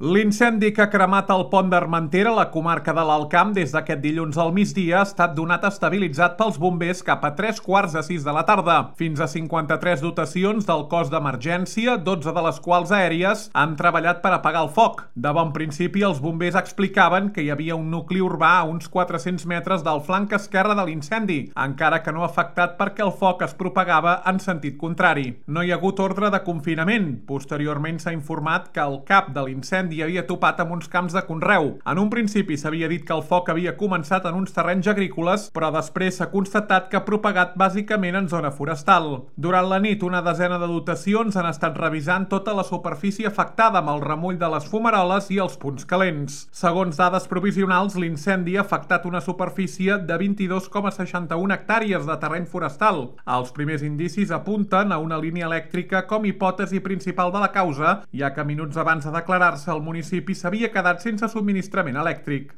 L'incendi que ha cremat el pont d'Armentera, a la comarca de l'Alt Camp, des d'aquest dilluns al migdia, ha estat donat estabilitzat pels bombers cap a 3:45 de la tarda. Fins a 53 dotacions del cos d'emergència, 12 de les quals aèries, han treballat per apagar el foc. De bon principi, els bombers explicaven que hi havia un nucli urbà a uns 400 metres del flanc esquerre de l'incendi, encara que no afectat perquè el foc es propagava en sentit contrari. No hi ha hagut ordre de confinament. Posteriorment s'ha informat que el cap de l'incendi havia topat amb uns camps de conreu. En un principi s'havia dit que el foc havia començat en uns terrenys agrícoles, però després s'ha constatat que ha propagat bàsicament en zona forestal. Durant la nit, una desena de dotacions han estat revisant tota la superfície afectada amb el remull de les fumaroles i els punts calents. Segons dades provisionals, l'incendi ha afectat una superfície de 22,61 hectàrees de terreny forestal. Els primers indicis apunten a una línia elèctrica com hipòtesi principal de la causa, ja que minuts abans de declarar-se el municipi s'havia quedat sense subministrament elèctric.